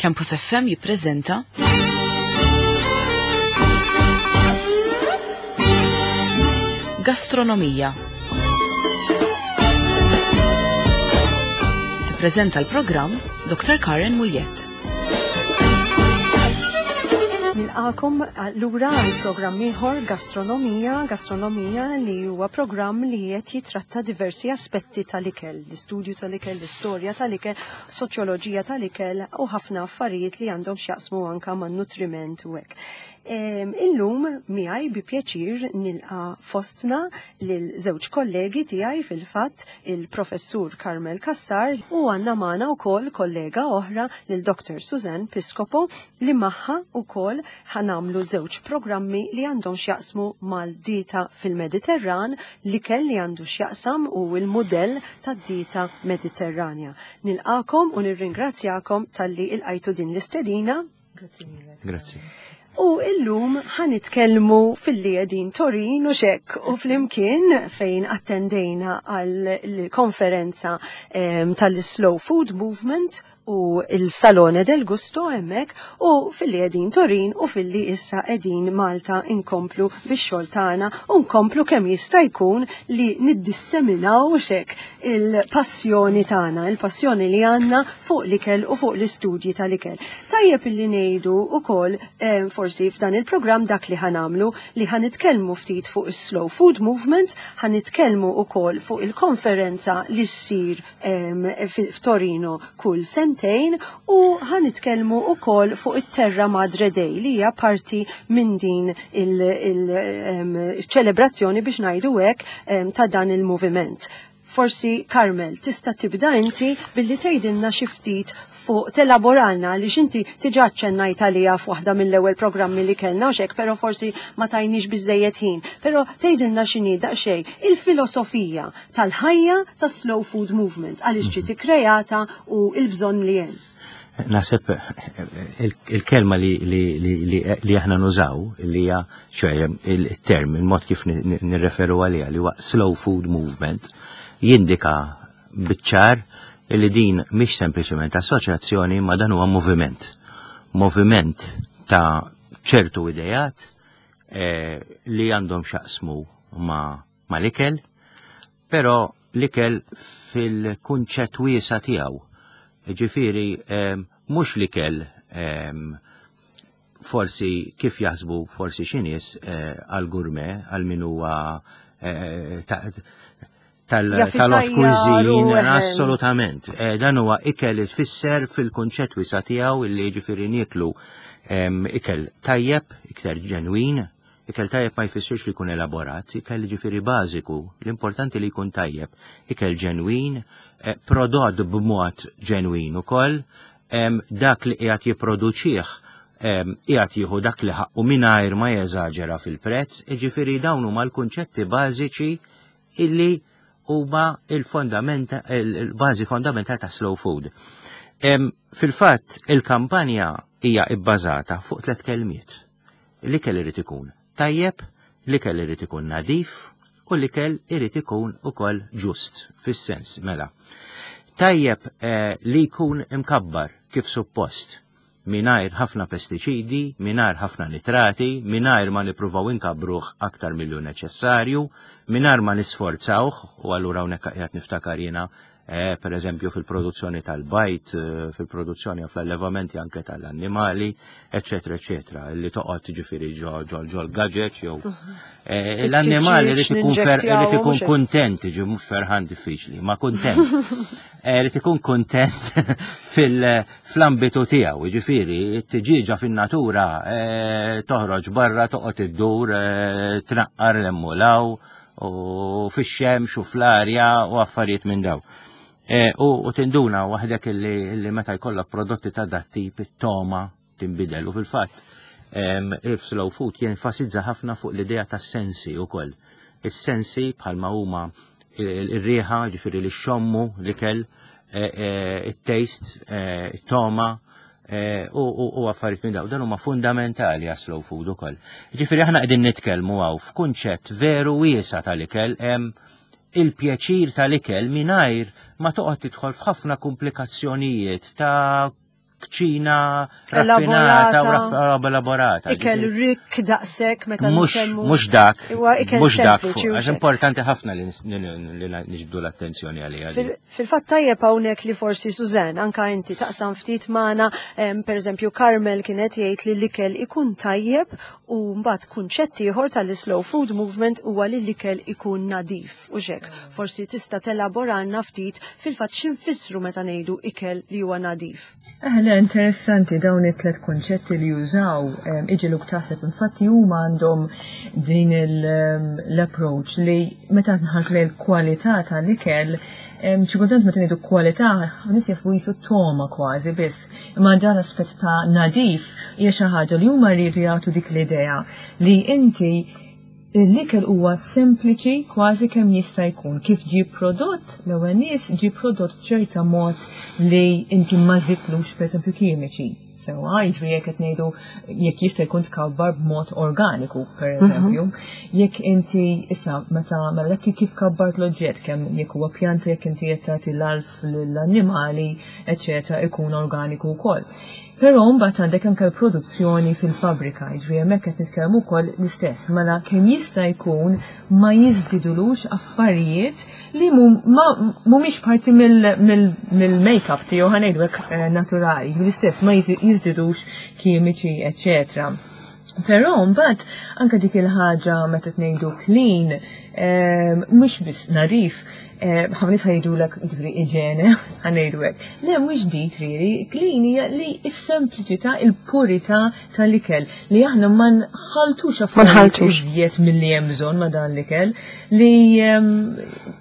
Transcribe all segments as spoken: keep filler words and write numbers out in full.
Campus F M jippreżenta Gastronomija. Tippreżenta l-programm Doctor Karen Mugliett. Nilqagħkom lura għal programm ieħor Gastronomija, Gastronomija li huwa programm li qed jitratta diversi aspetti tal-ikel, l-istudju tal-ikel, l-istorja tal-ikel, soċjoloġija tal-ikel u ħafna affarijiet li għandhom x'jaqsmu anka man-nutriment u hekk. Illum miegħi bi pjaċir nilqa' fostna lil żewġ kollegi tiegħi, fil-fatt il-Professur Carmel Cassar u għandna magħna wkoll kollega oħra, lil Doctor Suzanne Piscopo, li magħha wkoll ħa nagħmlu żewġ programmi li għandhom x'jaqsmu mal-dieta fil-Mediterran, l-ikel li għandu x'jaqsam u l-mudell tad-dieta Mediterranja. Nilqagħkom u nirringrazzjakom talli ilqajtu din l-istedina. Grazzi. U illum ħa nitkellmu filli qegħdin Torin u xek u flimkien fejn attendejna għal konferenza tal-Slow Food Movement u il-Salone del Gusto hemmhekk, u filli qegħdin Torin u filli issa qegħdin Malta inkomplu bix-xogħol tagħna u nkomplu kemm jista' jkun li niddisseminaw xek il-passjoni tagħna, il-passjoni li għandna fuq l-ikel u fuq l-istudji tal-ikel. Tajjeb illi ngħidu ukoll eh, forsi f'dan il-programm dak li ħa nagħmlu, li ħa nitkellmu ftit fuq is-Slow Food Movement, ħa nitkellmu ukoll fuq il-konferenza li ssir f'Torino kull sentejn u ħa nitkellmu ukoll fuq it-Terra Madre Day li hija parti minn din il-ċelebrazzjoni, biex ngħidu hekk, ta' dan il-moviment. Forsi Carmel tista' tibda inti billi tgħidilna xi ftit fuq, telaboralna li xinti diġà ċċennajt għalija f'waħda mill-ewwel programmi li kellna u xek, però forsi ma tajniex biżejjed ħin. Però tgħidilna x'inhi daqsxejn il-filosofija tal-ħajja tas-Slow Food Movement, għaliex ġiet ikkreata u l-bżonn li hemm. Naħseb il-kelma li, li, li, li, li aħna nużaw, li hija, ċoè il-term, il-mod kif nirreferu għaliha, li huwa Slow Food Movement, jindika biċ-ċar li din mhix sempliċement assoċjazzjoni, ma dan huwa moviment. Moviment ta' ċertu idejat eh, li għandhom x'jaqsmu ma, ma l-ikel, però l-ikel fil-kunċett wiesa tiegħu. Ġifieri, eh, mhux l-ikel eh, forsi kif jaħsbu forsi xi nies eh, għal gourmet, għal min huwa eh, tal-haute cuisine, assolutament. Eh, dan huwa ikel tfisser fil-kunċett wiesa tiegħu, illi ġifieri nieklu ikel tajjeb, ikel ġenwin. Ikel tajjeb ma jfissirx li jkun elaborat, ikel ġifieri bażiku, l-importanti li jkun tajjeb, ikel ġenwin, eh, prodott b'mod ġenwin ukoll, dak li qiegħed jipproduċih qiegħed jieħu dak li ħaqqu mingħajr ma jeżaġera fil-prezz, ġifieri dawn huma l-kunċetti bażiċi illi huma il-fondamenta, il-bażi fondamentali ta' slow food. Fil-fatt, il-kampanja hija ibbażata fuq tliet kelmiet. L-ikel irid ikun tajjeb, l-ikel irid ikun nadif u l-ikel irid ikun ukoll ġust, fis-sens mela. Tajjeb eh, li jkun imkabbar kif suppost, mingħajr ħafna pestiċidi, mingħajr ħafna nitrati, mingħajr ma nippruvaw inkabbruh aktar milli neċessarju, mingħajr ma nisforzawh, u allura hawnhekk qiegħed niftakar jiena eh, per eżempju fil-produzzjoni tal-bajd, eh, fil-produzzjoni fl-allevamenti anke tal-annimali, eccetera, eccetera, li toqgħod ġifieri ġo ġo ġo l-gaġeġ jew eh, l-annimali irid ikun irid ikun kuntent, ġi mhux ferħan, diffiċli, ma kuntent. Irid ikun kuntent fil-ambitu tiegħu, ġifieri t-tiġieġa fin-natura toħroġ barra, toqgħod iddur, tnaqqar l-emmulaw u fix-xemx u fl-arja u affarijiet minn daw. U tinduna waħdek li meta jkollok prodotti ta' dat-tip, it-toma tinbidel, u fil-fatt il-slow food jenfasizza ħafna fuq l-idea ta' sensi u koll. Is-sensi bħalma huma il-riħa, ġifieri li xommu l-ikel, il-taste, it-toma, u affarijiet minn daw. Dan huma fundamentali għas slow food ukoll. Ġifieri aħna qegħdin nitkellmu hawn f'kunċett veru wiesa tal-ikel, il-pjaċir tal-ikel mingħajr ma toqgħod tidħol f'ħafna komplikazzjonijiet ta' kċina raffinata u elaborata. Ikel rikk daqshekk meta nsemmu. Mhux dak, mhux dak, għax importanti ħafna li niġbdu l-attenzjoni għalija. Fil-fatt tajjeb hawnhekk li forsi Suzanne, anka inti taqsam ftit magħna, pereżempju Carmel kienet jgħid li l-ikel ikun tajjeb u mbagħad kunċett ieħor tal-slow food movement huwa li l-ikel ikun nadif. U xek, forsi tista' telaboranna ftit fil-fatt x'infissru meta ngħidu ikel li huwa nadif. Eħle, interessanti dawn it-tlet konċetti li jużaw iġiluk taħseb, infatti huma għandhom din l-approach li meta nħarsu lejn l-kwalità tal-ikel, xi kultant meta ngħidu kwalità, nies jaħsbu qisu togħma kważi biss, imma dan l-aspett ta' nadif hija xi ħaġa li huma rridu jagħtu dik l-idea li inti l-ikel huwa sempliċi kważi kemm jista' jkun. Kif ġie prodott, l-ewwel nies ġie prodott b'ċerta mod li inti ma żidtlux pereżempju kimiċi. Sewwa, jiġifieri jekk qed ngħidu jekk jista' jkun tkabbar b'mod organiku, pereżempju. Jekk inti issa meta mela kif kabbart l-oġġett, kemm jekk huwa pjanta, jekk inti qed tagħti l-alf lill-annimali, eċċetera, ikun organiku wkoll. Però mbagħad għandek anke l-produzzjoni fil-fabbrika, jiġifieri hemmhekk qed nitkellmu wkoll l-istess, mela kemm jista' jkun ma jiżdidulux affarijiet li mhumiex parti mill-make-up tiegħu, ħa ngħidu hekk, naturali, jiġifieri l-istess ma jiżdidux kimiċi, eċċetera. Però mbagħad anke dik il-ħaġa meta ngħidu clean, mhux biss nadif, ħafna nies ħajdulek jiġifieri iġene, ħa ngħidu hekk. Le, mhux dik riri, clean hija li s-sempliċità, il-purità tal-ikel li aħna ma nħaltux affarijiet iżjed milli hemm bżonn ma' dan l-ikel li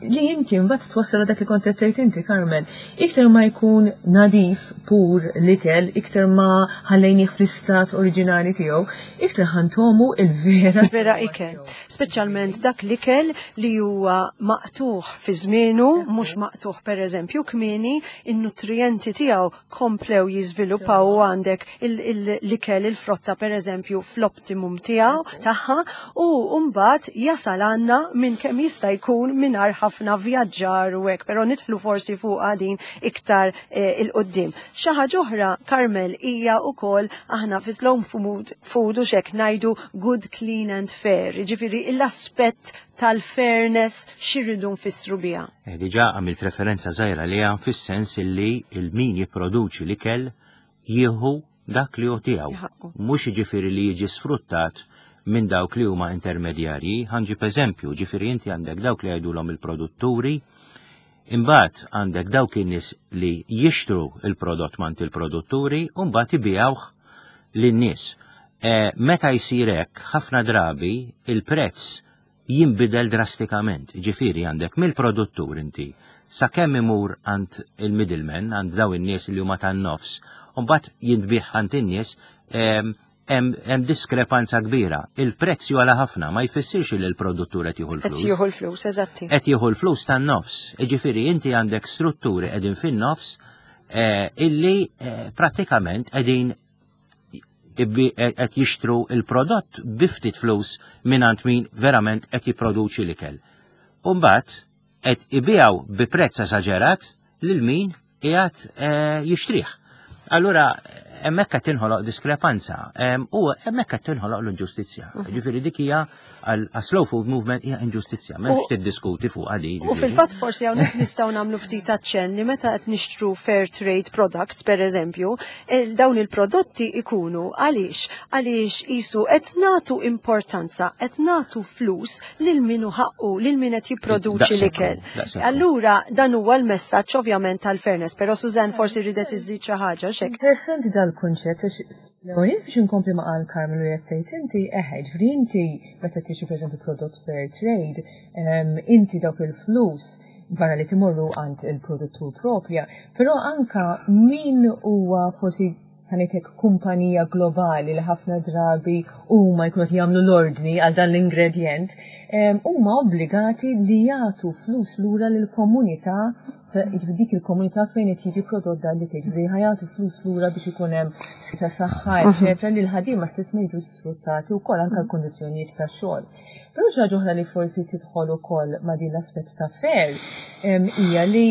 li inti mbagħad twassal dak li kont qed tgħid inti, Carmel. Iktar ma jkun nadif pur l-ikel, iktar ma ħallejnih fl-istat oriġinali tiegħu, iktar ħa ntogħmu il-vera. Vera ikel. Speċjalment dak l-ikel li huwa maqtuħ fi żmienu, mhux maqtuħ pereżempju kmieni, in-nutrijenti tiegħu komplew jiżviluppaw u għandek l-ikel, il-frotta pereżempju fl-optimum tiegħu tagħha u mbagħad jasal għandna minn kemm jista' jkun mingħajr ħafna vjaġġar u hekk, però nidħlu forsi fuq din iktar il-qudiem. Xi ħaġa oħra, Carmel, hija wkoll aħna fi slow food, food u xek ngħidu good, clean and fair. Jiġifieri l-aspett tal-fairness x'irridu nfissru biha. Eh, diġà għamilt referenza żgħira li għan fis-sens illi il-min jipproduċi l-ikel jieħu dak li hu tiegħu. Mhux jiġifieri li jiġi sfruttat minn dawk li huma intermedjarji. Ħa nġib eżempju, ġifieri inti għandek dawk li jgħidulhom il-produtturi, imbagħad għandek dawk in-nies li jixtru il-prodott mant il-produtturi u mbagħad ibigħuh lin-nies. Eh, meta jsir hekk, ħafna drabi il-prezz jinbidel drastikament. Ġifieri għandek mill-produttur inti sakemm imur għand il-middleman, għand daw in-nies li huma tan-nofs, u mbagħad jintbigħ għand in-nies, hemm diskrepanza kbira. Il-prezz jogħla ħafna, ma jfissirx li l-produttur qed jieħu l-flus. Qed jieħu l-flus, eżatti. Qed jieħu l-flus tan-nofs. Jiġifieri inti għandek strutturi qegħdin fin-nofs illi prattikament qegħdin qed jixtru il-prodott bi ftit flus mingħand min verament qed jipproduċi l-ikel. U mbagħad qed ibigħu bi prezz esaġerat lil min qiegħed jixtrih. Allura hemmhekk qed tinħoloq diskrepanza u hemmhekk qed tinħoloq l-inġustizzja. Ġifieri dik hija għal slow food movement hija inġustizzja, m'hemmx tiddiskuti fuq għadi. U fil-fatt forsi hawnhekk nistgħu nagħmlu ftit aċċenn li meta qed nixtru fair trade products pereżempju, dawn il-prodotti ikunu għaliex għaliex qisu qed nagħtu importanza, qed nagħtu flus lil min hu ħaqqu, lil min qed jipproduċi l-ikel. Allura dan huwa l-messaġġ ovvjament tal-fairness, però Suzanne forsi ridet iżżid xi ħaġa xek. Interessanti dal-kunċett għax l-ewwel biex inkompli ma qal Carmel u qed tgħid inti, eħe, ġifieri inti meta tixtri pereżempju prodott fair trade, inti dawk il-flus barra li timorru għand il-produttur propja, però anka min huwa forsi ħa ngħidlek kumpanija globali li ħafna drabi huma jkunu qed jagħmlu l-ordni għal dan l-ingredjent, huma obbligati li jagħtu flus lura lill-komunità, jiġifieri dik il-komunità fejn qed jiġi prodott dan l-ikel, jiġifieri ħa jagħtu flus lura biex ikun hemm ta' saħħa, eċetera, li l-ħaddiema stess ma jiġux sfruttati wkoll anke l-kundizzjonijiet tax-xogħol. Però xi ħaġa oħra li forsi tidħol ukoll ma' din l-aspett ta' fair hija li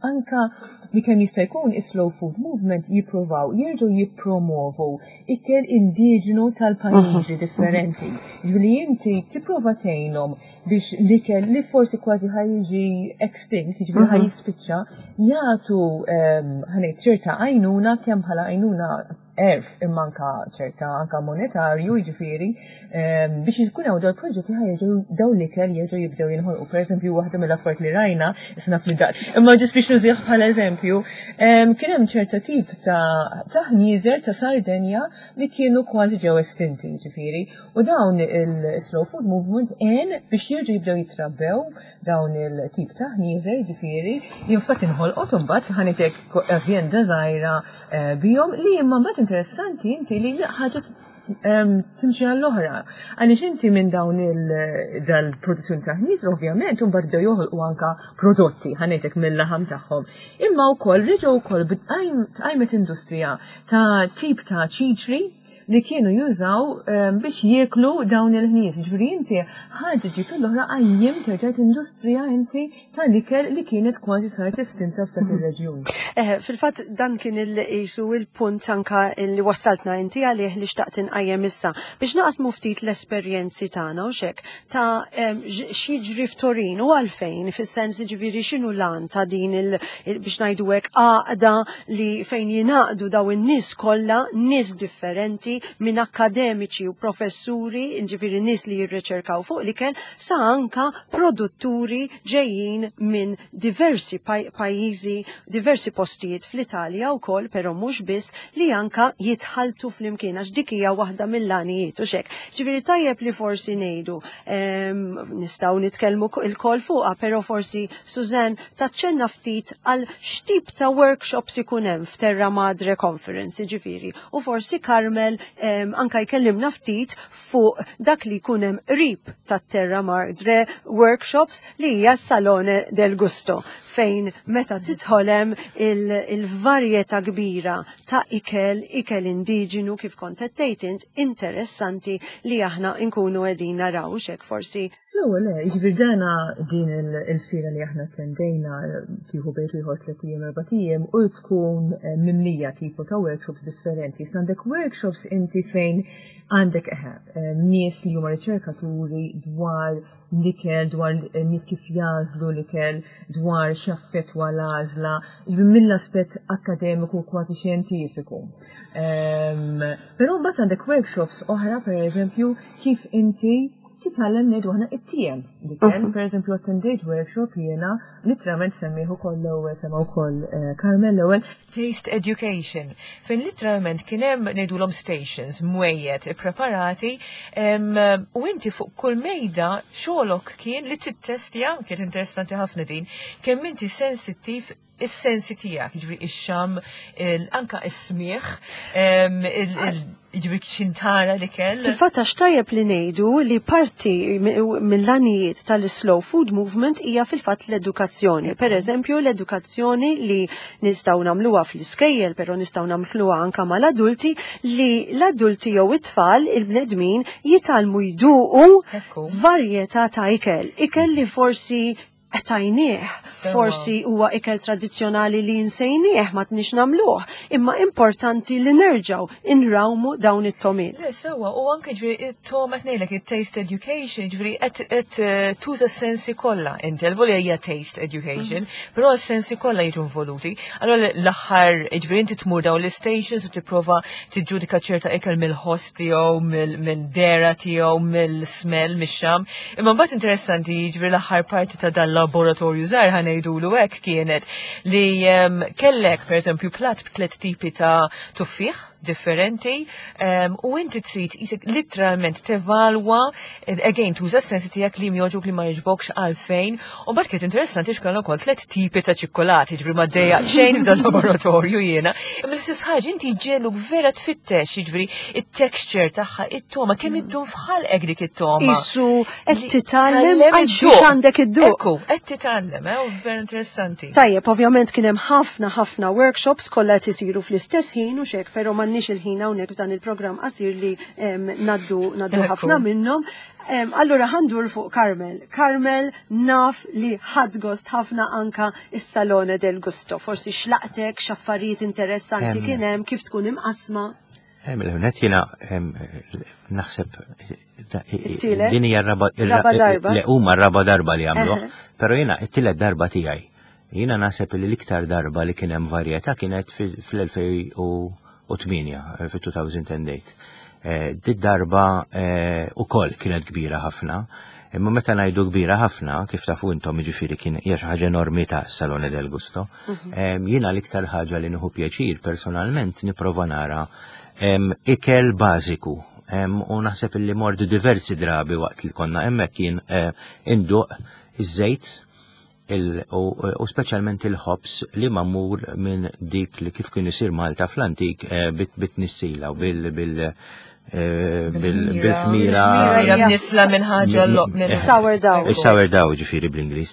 Anka li kemm jista' jkun is-slow food movement jippruvaw jerġgħu jippromovu ikel indiġenu tal-pajjiżi differenti. Ġifieri inti tipprova tgħinhom biex l-ikel li forsi kważi ħa jiġi extinct, jiġifieri ħa jispiċċa, jagħtu ħa ngħid ċerta għajnuna, kemm bħala għajnuna għerf imma anka ċerta anka monetarju, jiġifieri biex jkun hawn dawn proġetti ħa jerġgħu dawn l-ikel jerġgħu jibdew jinħolqu. Pereżempju, waħda mill-affarijiet li rajna, issa naf li daqt, imma ġis biex nużih bħala eżempju, kien hemm ċerta tip ta' ta' ħnieżer ta' Sardenja li kienu kważi ġew estinti, jiġifieri, u dawn il-slow food movement għen biex jerġgħu jibdew jitrabbew dawn il-tip ta' ħnieżer, jiġifieri, infatti inħolqot imbagħad ħa ngħidlek azjenda żgħira eh, bihom li imma mbagħad interessanti inti li ħaġa timxi għall-oħra. Għaliex inti minn dawn il-produzzjoni ta' ħnieżer ovvjament mbagħad bdew joħolqu anka prodotti ħa ngħidlek mill-laħam tagħhom. Imma wkoll reġgħu wkoll tqajmet industrija ta' tip ta' ċiċri li kienu jużaw biex jieklu dawn il-ħnies. Ġifieri inti ħaġa ġiet l-oħra, qajjem terġgħet industrija inti tal-ikel li kienet kważi saret estinta f'dak ir-reġjun. Eh, fil-fatt dan kien il-qisu il-punt anka li wassaltna inti għalih li xtaqt inqajjem issa biex naqsmu ftit l-esperjenzi tagħna u xek ta' x'jiġri f'Torino u għalfejn, fis-sens ġifieri x'inhu l-għan ta' din il biex ngħidu hekk għaqda li fejn jingħaqdu daw in-nies kollha, nies differenti minn akademiċi u professuri, ġifieri nies li jirriċerkaw fuq l-ikel, sa anka produtturi ġejjin minn diversi pajjiżi, diversi postijiet fl-Italja wkoll, però mhux biss, li anka jitħaltu flimkien għax dik hija waħda mill-għanijiet u xek. Ġifieri tajjeb li forsi ngħidu, nistgħu nitkellmu il-kol fuqha, però forsi Suzanne taċċenna ftit għal x'tip ta' workshops ikun hemm f'Terra Madre Conference, ġifieri, u forsi Carmel anka jkellimna ftit fuq dak li jkun hemm qrib tat-Terra Madre Workshops li hija Salone del Gusto, fejn meta tidħol hemm il-varjetà kbira ta' ikel, ikel indiġenu kif kont qed int, interessanti li aħna nkunu qegħdin naraw xek forsi. So, le, ġifieri dana din il-fira li aħna attendejna tieħu bejn ieħor tliet ijiem, erbat ijiem u tkun eh, mimlija tipo ta' workshops differenti. Għandek workshops inti fejn għandek eħe, eh, nies li huma riċerkaturi dwar l-ikel, dwar nies kif jagħżlu l-ikel, dwar x'affettwa l-għażla, mill-aspett akademiku kważi xjentifiku. Um, Però mbagħad għandek workshops oħra, per eżempju, kif inti titgħallem, ngħidu aħna, ittiegħem l-ikel. Per eżempju, attendejt workshop jiena, literalment semmieh ukoll l-ewwel, sema wkoll eh, Carmel l-ewwel, Taste Education, fejn literalment kien hemm, ngħidulhom, stations, mwejjed ippreparati u inti fuq kull mejda xogħolok kien li tittestja, kienet interessanti ħafna din, kemm inti sensittiv is-sensi tiegħek, jiġifieri ix-xam, anka is-smieħ, jiġifieri x'intara l-ikel. Fil-fatt għax tajjeb li ngħidu li parti mill-għanijiet tal-Slow Food Movement hija fil-fatt l-edukazzjoni. Per eżempju, l-edukazzjoni li nistgħu nagħmluha fl-iskejjel, però nistgħu nagħmluha anka mal-adulti, li l-adulti jew it-tfal, il-bnedmin jitgħallmu jduqu varjetà ta' ikel. Ikel li forsi qtajnieh, forsi huwa ikel tradizzjonali li nsejnieh, ma tnix nagħmluh, imma importanti li nerġgħu inrawmu dawn it-togħmiet. Sewa, u anke ġifieri it-togħma, qed ngħidlek it-taste education, ġifieri qed eh, tuża s-sensi kollha. Inti l-volja hija taste education, mhm. però s-sensi kollha jiġu involuti. Allora l-aħħar, ġifieri inti tmur dawn l-stations u tipprova tiġġudika ċerta ikel mill-ħoss tiegħu, mill-dehra tiegħu, mill-smell, mix-xam. Imma mbagħad interessanti, ġifieri l-aħħar parti ta' dan laboratorju żgħar, ħa ngħidulu hekk, kienet li kellek pereżempju plat b'tliet tipi ta' tuffieħ differenti um, u inti trid jisek literalment tevalwa, again tuża s-sensi tiegħek, li jogħġbok, li ma jogħġbokx, għalfejn. U mbagħad kienet interessanti x'kellna wkoll tliet tipi ta' ċikkolati, ġifieri ma dejjaq xejn f'dan laboratorju jiena. Imma l-istess ħaġa, inti ġelu vera tfittex, jiġifieri it-texture tagħha, it-togħma, kemm iddum f'ħalqek dik it-togħma. Isu qed titgħallem għal xiex għandek idduq. Ekku, qed titgħallem, eh, u vera interessanti. Tajjeb, ovvjament kien hemm ħafna ħafna workshops kollha qed isiru fl-istess ħin u xek, però ma M'għandniex il-ħin hawnhekk f'dan il-programm qasir li ngħaddu ngħaddu ħafna minnhom. Allura ħa ndur fuq Carmel. Carmel, naf li ħadt gost ħafna anka is-Salone del Gusto. Forsi x'laqtek, x'affarijiet interessanti kien hemm, kif tkun imqasma. L-ewwelnett jiena naħseb din hija raba li huma raba darba li għamluh, però jiena it-tielet darba tiegħi. Jiena naħseb li l-iktar darba li kien hemm varjetà kienet fl-elfejn u tmienja, fil-elfejn u tmienja. Did darba ukoll kienet kbira ħafna. Imma meta ngħidu kbira ħafna, kif tafu intom, jiġifieri kien hija xi ħaġa enormi ta' Salone del Gusto. Jiena l-iktar ħaġa li nieħu pjaċir personalment nipprova nara ikel bażiku. U naħseb li mort diversi drabi waqt li konna hemmhekk kien induq iż-żejt u speċjalment il-ħobs li magħmul minn dik li kif kien isir Malta fl-antik bit-nissila u bil bil bil-ħmira. Nisla minn ħaġa. Sourdough. Sourdough, ġifieri bl-Ingliż.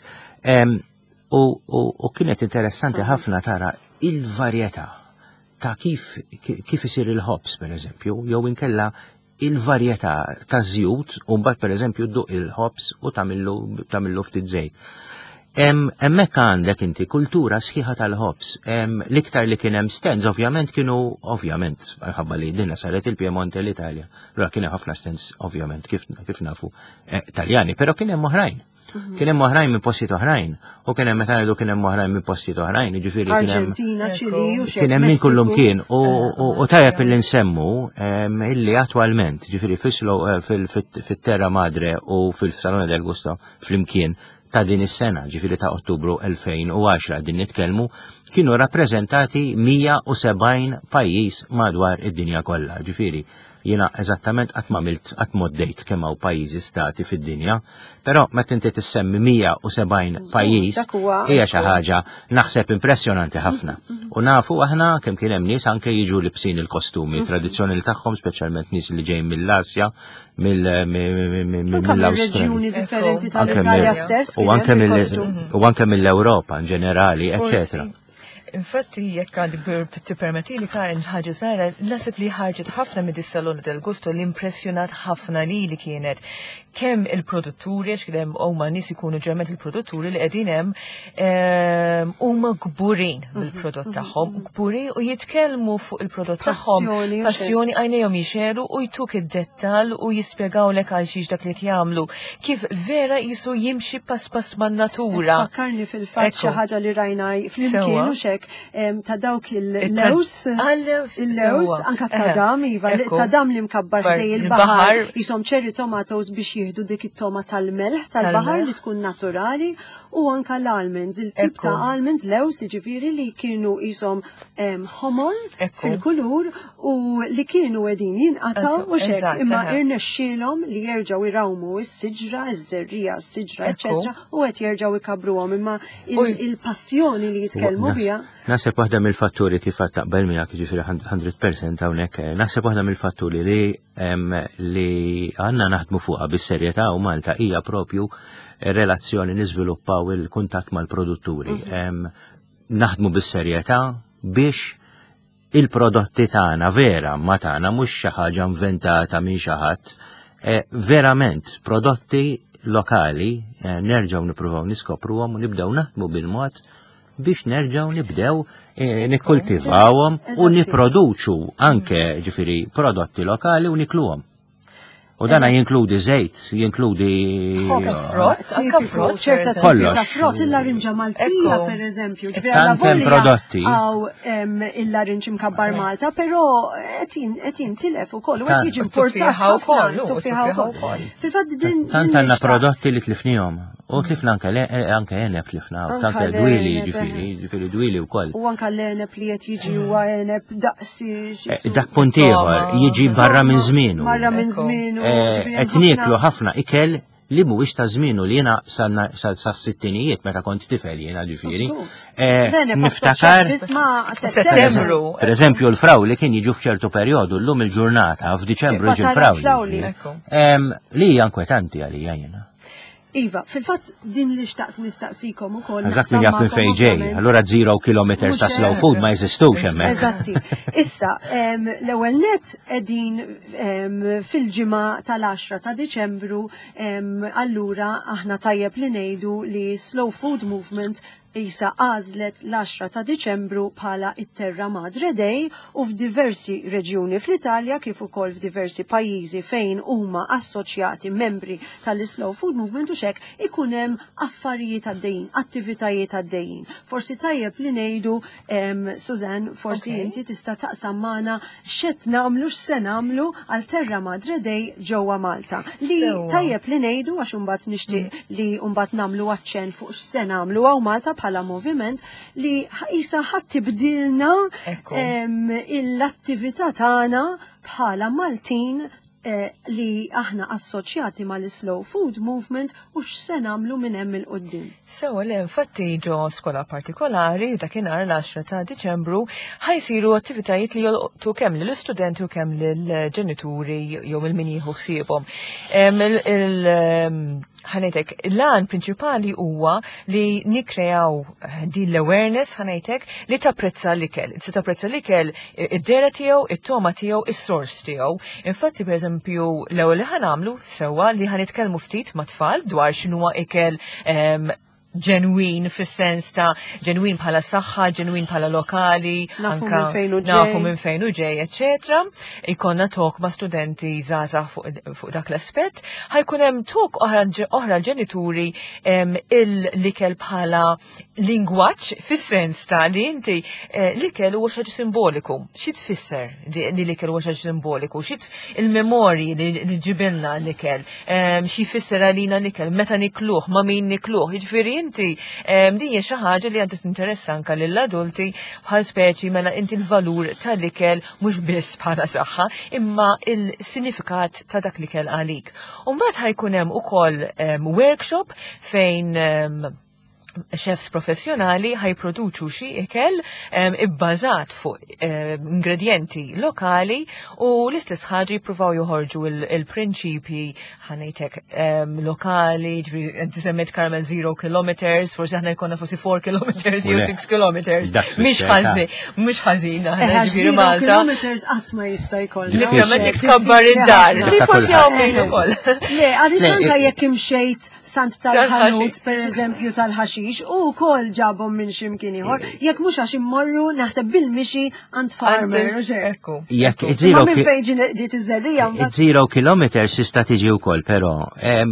U kienet interessanti ħafna tara il-varjetà ta' kif kif isir il-ħobs, per eżempju, jew inkella il-varjetà ta' żjut, u mbagħad, per eżempju, dduq il-ħobs u tagħmillu ftit żejt. Hemmhekk għandek inti kultura sħiħa tal-ħobs. L-iktar li kien hemm stands ovvjament kienu, ovvjament, ħabba li dinna saret il-Piemonte, l-Italja. Allura kien hemm ħafna stands, ovvjament, kif, kif nafu, eh, Taljani, però kien hemm oħrajn. Mhm. Kien hemm oħrajn minn postijiet oħrajn. U kien hemm, meta ngħidu kien hemm oħrajn minn postijiet oħrajn, jiġifieri kien hemm Arġentina, Ċili u kien hemm minn kullum kien u tajjeb illi nsemmu illi attwalment, ġifieri eh, fit-Terra Madre u fil-Salone del Gusto flimkien ta' din is-sena, ġifieri ta' Ottubru elfejn u għaxra din nitkellmu, kienu rappreżentati mija u sebgħin pajjiż madwar id-dinja kollha. Ġifieri jiena eżattament qatt ma milt qatt moddejt kemm hawn pajjiżi, stati fid-dinja, però meta inti tissemmi mija u sebgħin pajjiż hija xi ħaġa naħseb impressjonanti ħafna. U nafu aħna kemm kien hemm nies anke jiġu libsin il-kostumi tradizzjonali tagħhom, speċjalment nies li ġejjin mill-Asja, mill-Awstralja. Differenti tal-Italja stess. U anke mill-Ewropa in ġenerali, eċetera. Infatti, jekk għandi tippermetti li Karen ħaġa żgħira, naħseb li ħarġet ħafna mid Salone del Gusto li impressjonat ħafna li li kienet kemm il-produtturi, għax kien hemm huma nies ikunu ġerment il-produtturi li qegħdin hemm ehm, huma kburin bil-prodott tagħhom, kburin u jitkellmu fuq il-prodott tagħhom. Passjoni u Passjoni, għajnejhom jixegħlu u jtuk id-dettall u jispjegawlek għal xiex dak li jagħmlu. Kif vera jisu jimxi pass pass man-natura. Fakkarni fil-fatt xi Ekku. ħaġa li rajna flimkien Sewwa. u xek em, ta' dawk il-lews. Għal-lews, Il-lews, sewwa. anka tadam, iva, Ekku. tadam li mkabbar Bar- ħdej il-baħar. il-baħar, jisom cherry tomatoes biex jieħdu dik it-toma tal-melħ tal-baħar Tal-melħ. li tkun naturali u anka l-almonds, il-tip Ekku. ta' almonds, lews, ġifieri li kienu jisom em, ħomor Ekku. fil-kulur u li kienu qegħdin jinqataw Ekku, u xek, eżatt, imma eħe. irnexxielhom li jerġgħu irawmu s-siġra, iż-żerrija, s-siġra, Ekku. eċetera, u qed jerġgħu ikabruhom, imma U- il- il-passjoni li jitkellmu biha. Naħseb waħda mill-fatturi, kif għad taqbel miegħek, ġifieri mija fil-mija hawnhekk, eh, naħseb waħda mill-fatturi li em, li għandna naħdmu fuqha bis-serjetà u Malta hija propju relazzjoni, niżviluppaw il-kuntatt mal-produtturi. Em, Naħdmu bis-serjetà biex il-prodotti tagħna vera ma tagħna, mhux xi ħaġa inventata minn xi ħadd, eh, verament prodotti lokali, eh, nerġgħu nippruvaw niskopruhom u nibdew naħdmu bil-mod biex nerġgħu nibdew eh, nikkultivawhom u Eżatti. nipproduċu anke, ġifieri, prodotti lokali u nikluhom. U dana jinkludi żejt, jinkludi Ħobż, Frott, anka tipiku, frott, per ċerta eżempju. tipi ta' Kollox. frott, il-larinġa Maltija, Ekku. per eżempju. Ġifieri Tant alla hemm volja prodotti. Għaw em, il-larinġ imkabbar Malta, però qed qed jintilef ukoll u qed Tant. jiġi importat Tuffieħa ħafna, wkoll, u tuffieħa tuffieħa wkoll. wkoll. Fil-fatt din Tant din għandna nixtaqt. prodotti li tlifnihom. U tlifna anke le- eh, anke għeneb tlifna, Anke anke dwili, l-għeneb, ġifieri, ġifieri dwili wkoll. U anka l-għeneb li qed jiġi huwa għeneb daqsi. Eh, Dak punt ieħor, jiġi barra minn żmienu. Barra minn Ekku. żmienu. Eh, ġifieri Qed hemm nieklu ħafna- ħafna ikel li mhuwiex ta' żmienu, li jiena sa sittinijiet meta kont tifel jiena, ġifieri. Żgur. Eh, L-għeneb Niftakar assoċjat biss ma' Settembru. Per eżempju, l-frawli kien jiġu f'ċertu perjodu, llum il-ġurnata f'Diċembru Tibqa' jiġi tara l-frawli. l-frawli. Ekku. Em, Li hija inkwetanti għalija jiena. Iva, fil-fatt din li xtaqt nistaqsikom ukoll. Dak min jaf minn fejn ġej, allura zero kilometers ta' slow food ma jeżistux hemmhekk. Eżatti. Issa, l-ewwel net qegħdin fil-ġimgħa tal-għaxra ta' Diċembru, allura aħna tajjeb li ngħidu li Slow Food Movement isa għażlet l-għaxra ta' Diċembru bħala it-Terra Madre Day u f'diversi reġjuni fl-Italja kif ukoll f'diversi pajjiżi fejn huma assoċjati membri tal-Slow Food Movement u xek ikun hemm affarijiet għaddejjin, attivitajiet għaddejjin. Forsi tajjeb li ngħidu, Suzanne, forsi okay. inti tista' taqsam magħna x'qed nagħmlu, x'se nagħmlu għal Terra Madre Day ġewwa Malta. Li tajjeb li ngħidu għax imbagħad nixtieq mm. li mbagħad nagħmlu aċċenn fuq x'se nagħmlu hawn Malta bħala moviment li isa ħadd tibdilna l-attività tagħna bħala Maltin eh, li aħna assoċjati mal-Slow Food Movement u x'se nagħmlu minn hemm 'il quddiem. Sewa li infatti ġo skola partikolari dakinhar l-għaxra ta' Diċembru ħa jsiru attivitajiet li jolqtu kemm lill-istudenti u kemm lill-ġenituri jew il-min jieħu ħsiebhom. Ħa ngħidlek, l-għan prinċipali huwa li nikrejaw din l-awareness, ħa ngħidlek, li tapprezza l-ikel. Se tapprezza l-ikel id-dehra tiegħu, it-togħma tiegħu, is-sors tiegħu. Infatti, per eżempju, l-ewwel li ħa nagħmlu sewwa li ħa nitkellmu ftit ma' tfal dwar x'inhuwa ikel ġenwin fis-sens ta' ġenwin bħala saħħa, ġenwin bħala lokali, nafu minn fejn u ġej, nafu minn fejn u ġej, eċetera. Ikollna talk ma' studenti żgħażagħ fuq, fuq dak l-aspett. Ħa jkun hemm talk oħra ġenituri l-ikel bħala lingwaġġ fis-sens ta' li inti eh, l-ikel huwa xi simboliku. Xi tfisser li l-ikel huwa xi simboliku? Xi il-memorji li ġibilna l-ikel? Xi jfisser għalina l-ikel? Meta nikluh, ma' min nikluh? Jiġifieri inti din hija xi ħaġa li għandha tinteressa anke lill-adulti bħal speċi mela inti l-valur tal-ikel mhux biss bħala saħħa imma il-sinifikat ta' dak l-ikel għalik. U mbagħad ħa jkun hemm ukoll workshop fejn chefs professjonali ħa jipproduċu xi ikel ibbażat fuq ingredienti lokali u l-istess ħaġa jippruvaw joħorġu il-prinċipji, ħa ngħidlek, lokali, ġifieri inti semmejt, Carmel, zero kilometers, forsi aħna jkollna forsi four kilometers jew six kilometers. Mhix ħażin, mhux ħażin aħna ġifieri Malta. Kilometers qatt ma jista' jkollna. Literalment jekk tkabbar id-dar. Li forsi hawn min ukoll. Le, għaliex anke jekk imxejt s'għand tal-ħanut, per eżempju, tal-ħaxix, u wkoll ġabhom minn x'imkien ieħor, jekk mhux għax immorru naħseb bil-mixi għand farmer. Jekk zero minn fejn ġiet iż-żerrija. Zero kilometers tista' tiġi wkoll, però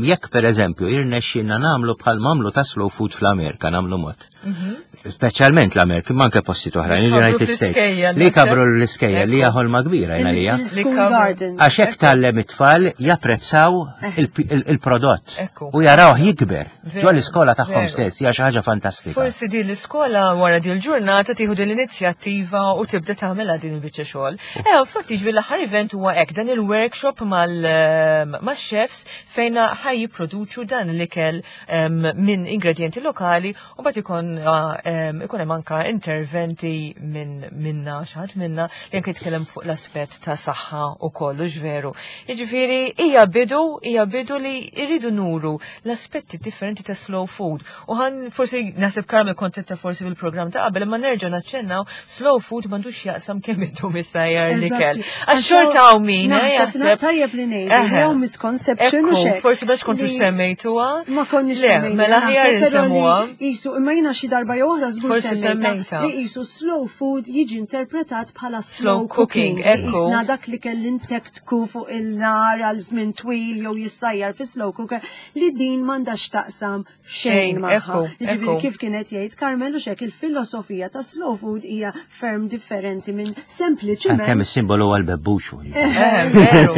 jekk per eżempju jirnexxinna nagħmlu bħal m'għamlu ta' slow food fl-Amerika, nagħmlu mod. Mhm. Speċjalment l-Amerika, ma anke postijiet oħrajn, il-United States. Li kabru l-iskejjel li ħolma kbira jena lija. Għax hekk tgħallem it-tfal japprezzaw eh. il-prodott u jaraw jikber ġo l-iskola tagħhom stess, hija xi ħaġa fantastika. Forsi din l-iskola wara din il-ġurnata tieħu din l-inizjattiva u tibda tagħmilha din il-biċċa xogħol. Eh, infatti ġifieri l-aħħar event huwa hekk dan il-workshop mal-chefs fejn ħa jipproduċu dan l-ikel minn ingredienti lokali u mbagħad ikun ikun hemm anka interventi minn minna xi ħadd minna li anke jitkellem fuq l-aspett ta' saħħa u kollu veru. Jiġifieri hija bidu hija bidu li jridu nuru l-aspetti differenti ta' slow food. U ħan forsi naħseb Carmel kontenta forsi bil-programm ta' qabel, imma nerġa' naċċennaw, slow food m'għandux jaqsam kemm intom issajjar l-ikel. Għax xorta hawn min eh, jaħseb. Tajjeb li ngħidu, jew misconception u xek. Forsi biex kontu semmejtuha. Ma konniex semmejtuha. Mela ħjar insemmuha. Isu, imma jiena xi darba jew oħra żgur semmejta. Li isu slow food jiġi interpretat bħala slow cooking. Isna dak li kelli ntektku fuq il-nar għal żmien twil jew jissajjar fi slow cooker, li din m'għandax taqsam xejn magħha. Ġifieri kif kienet jgħid Carmel u xek, il-filosofija ta' slow food hija ferm differenti minn sempliċiment. Kemm is-simbolu għal bebbuxu. Veru,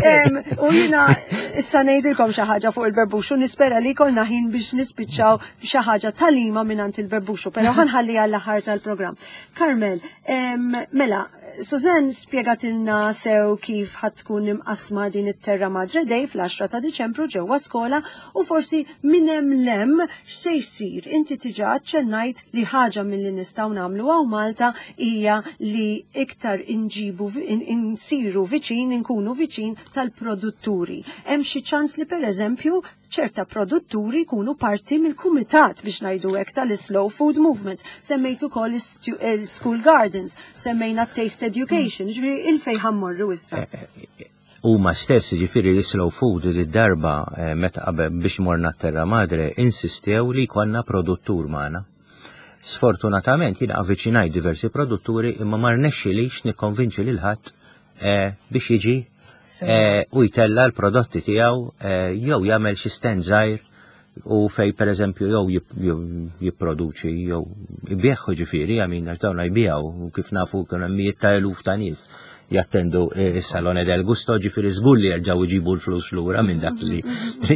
veru. U jiena issa ngħidilkom xi ħaġa fuq il-bebbuxu, nispera li jkollna ħin biex nispiċċaw xi ħaġa talima minn il-bebbuxu, però ħa nħalli għall-aħħar tal-programm. Carmel, mela, Suzanne spjegatilna sew kif ħa tkun imqasma din it-Terra Madre Day fl-għaxra ta' Diċembru ġewwa skola u forsi minn hemm 'l hemm x'se jsir. Inti diġà aċċennajt li ħaġa milli nistgħu nagħmlu hawn Malta hija li iktar inġibu insiru viċin, inkunu viċin tal-produtturi. Hemm xi ċans li, pereżempju, ċerta produtturi jkunu parti mill-kumitat, biex ngħidu hekk, tal-Slow Food Movement? Semmejt ukoll il-School Gardens, semmejna Taste Education, ġifieri il-fejn ħa mmorru issa? Huma stess, ġifieri l-Slow Food, li darba eh, meta qabel biex morna Terra Madre insistew li jkollna produttur magħna. Sfortunatament jiena avviċinajt diversi produtturi, imma ma rnexxilix nikkonvinċi lil ħadd eh, biex jiġi eh, u jtella l-prodotti tiegħu jew jagħmel xi stand żgħir u fej per eżempju jew jipproduċi jew ibigħu, ġifieri għamin għax dawn jbigħu u kif nafu kienu mijiet ta' eluf ta' nies jattendu il-Salone del Gusto, ġifieri żgur li jerġgħu jġibu l-flus lura minn dak li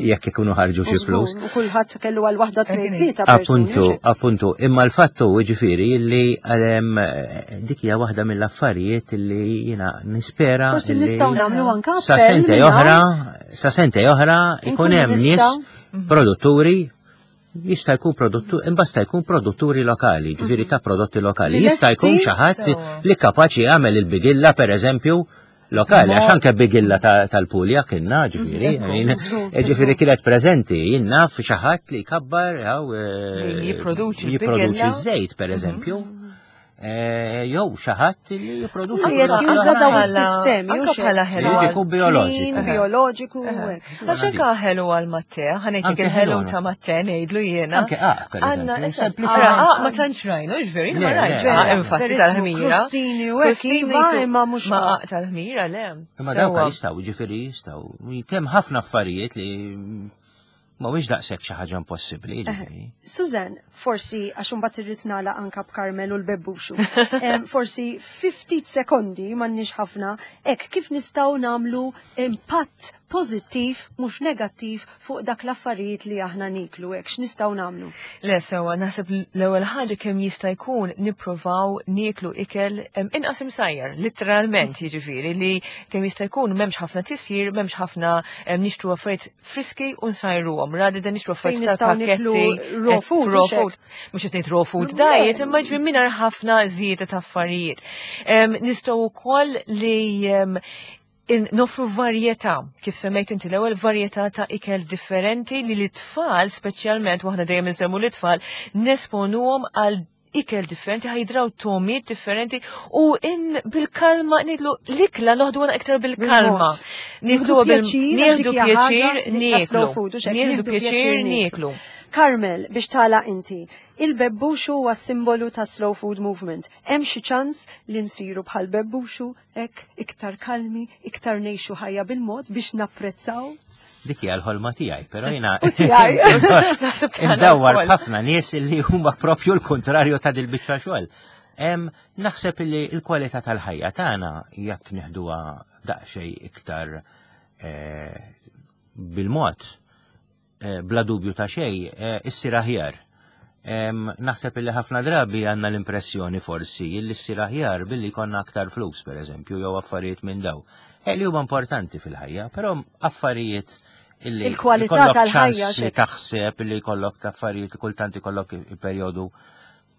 jekk ikunu ħarġu xi flus. U kulħadd kellu għal waħda, tnejn, tlieta. Appuntu, appuntu, imma l-fattu ġifieri li dik hija waħda mill-affarijiet li jiena nispera. Forsi nistgħu nagħmlu anke Sa sentejn oħra, sa sentejn oħra ikun hemm nies produtturi, jista' jkun produttur, imbasta jkun produtturi lokali, ġifieri ta' prodotti lokali. Jista' jkun xi ħadd li kapaċi jagħmel il-bigilla, per eżempju, lokali, għax anke bigilla tal-Pulja kienna, ġifieri, ġifieri kienet preżenti, jien naf xi ħadd li jkabbar jipproduċi jipproduċi żejt, per eżempju. Eh, jew xi ħadd li jipproduċi. Qiegħed juża daw is-sistemi. Anke bħala ħelu. Jkun bioloġiku. Bioloġiku. Għax anke ħelu għal matte, ħa ngħidlek il-ħelu ta' matte ngħidlu jiena. Anke ah, per eżempju. Ah, ma tantx rajnu, ġveri, ma rajtx. Infatti tal-ħmira. Crostini u hekk, iva, imma mhux Ma tal-ħmira le. Imma dawk jistgħu, ġifieri jistgħu. Kemm ħafna affarijiet li mhuwiex daqshekk xi ħaġa impossibbli, ġifieri. Suzanne, forsi għax imbagħad irrid nagħlaq anka b'Carmel u l-bebbuxu. Em, Forsi ftit sekondi, m'għandniex ħafna, hekk kif nistgħu nagħmlu impatt pożittiv mhux negattiv fuq dak l-affarijiet li aħna niklu, hekk x'nistgħu nagħmlu? Le, sewa, naħseb l-ewwel ħaġa kemm jista' jkun nipprovaw nieklu ikel em, inqas imsajjar, literalment, jiġifieri li kemm jista' jkun m'hemmx ħafna tisjir, m'hemmx ħafna em, nixtru affarijiet friski u nsajruhom, rather than nixtru Fejn affarijiet nistgħu niklu tal-pakketti. raw eh, food, raw mhux hekk? food. Mhux qed ngħid raw food diet, imma ġifieri mingħajr ħafna żieda ta' affarijiet. Em, Nistgħu wkoll li em, in- nofru varjetà, kif semmejt inti l-ewwel, varjetà ta' ikel differenti li l-tfal, speċjalment, waħna dejjem insemmu l-tfal, nesponuhom għal ikel differenti, ħa jidraw togħmiet differenti u in bil-kalma nidlu l-ikla noħduha iktar bil-kalma. Bil-mod. Nieħdu bil- pjaċir, għax nieħdu dik hija pjaċir ħaġa li ta' nieklu. slow food, u xek, Nieħdu pjaċir nieklu. Carmel, biex tagħlaq inti, il-bebbuxu huwa simbolu ta' Slow Food Movement. Hemm xi ċans li nsiru bħal bebbuxu, hekk iktar kalmi, iktar ngħixu ħajja bil-mod biex napprezzaw? Dik hija l-ħolma tiegħi, però jiena U tiegħi. Naħseb tagħna Indawwar wkoll. ħafna nies li huma propju l-kontrarju ta' dil-biċċa xogħol. Em, Naħseb li l-kwalità tal-ħajja tagħna, jekk neħduha daqsxejn iktar eh, bil-mod, eh, bla dubju ta' xejn, eh, issir aħjar. Em, Naħseb li ħafna drabi għandna l-impressjoni forsi li ssir aħjar billi jkollna aktar flus, per eżempju, jew affarijiet minn daw. Eh, li huma importanti fil-ħajja, però affarijiet illi Il-kwalità jkollok tal-ħajja, ċans li xek. taħseb li jkollok affarijiet, kultant ikollok perjodu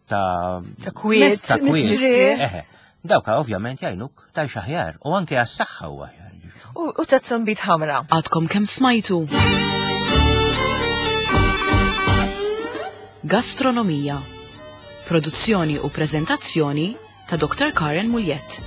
ta' Ta' kwiet. ta' kwiet. Mistrieħ. Eħe. Dawka ovvjament jgħinuk tgħix aħjar u anke għas-saħħa huwa aħjar. U u ta' zombit ħamra. Għadkom kemm smajtu Gastronomija. Produzzjoni u prezentazzjoni ta' Doktor Karen Mugliett.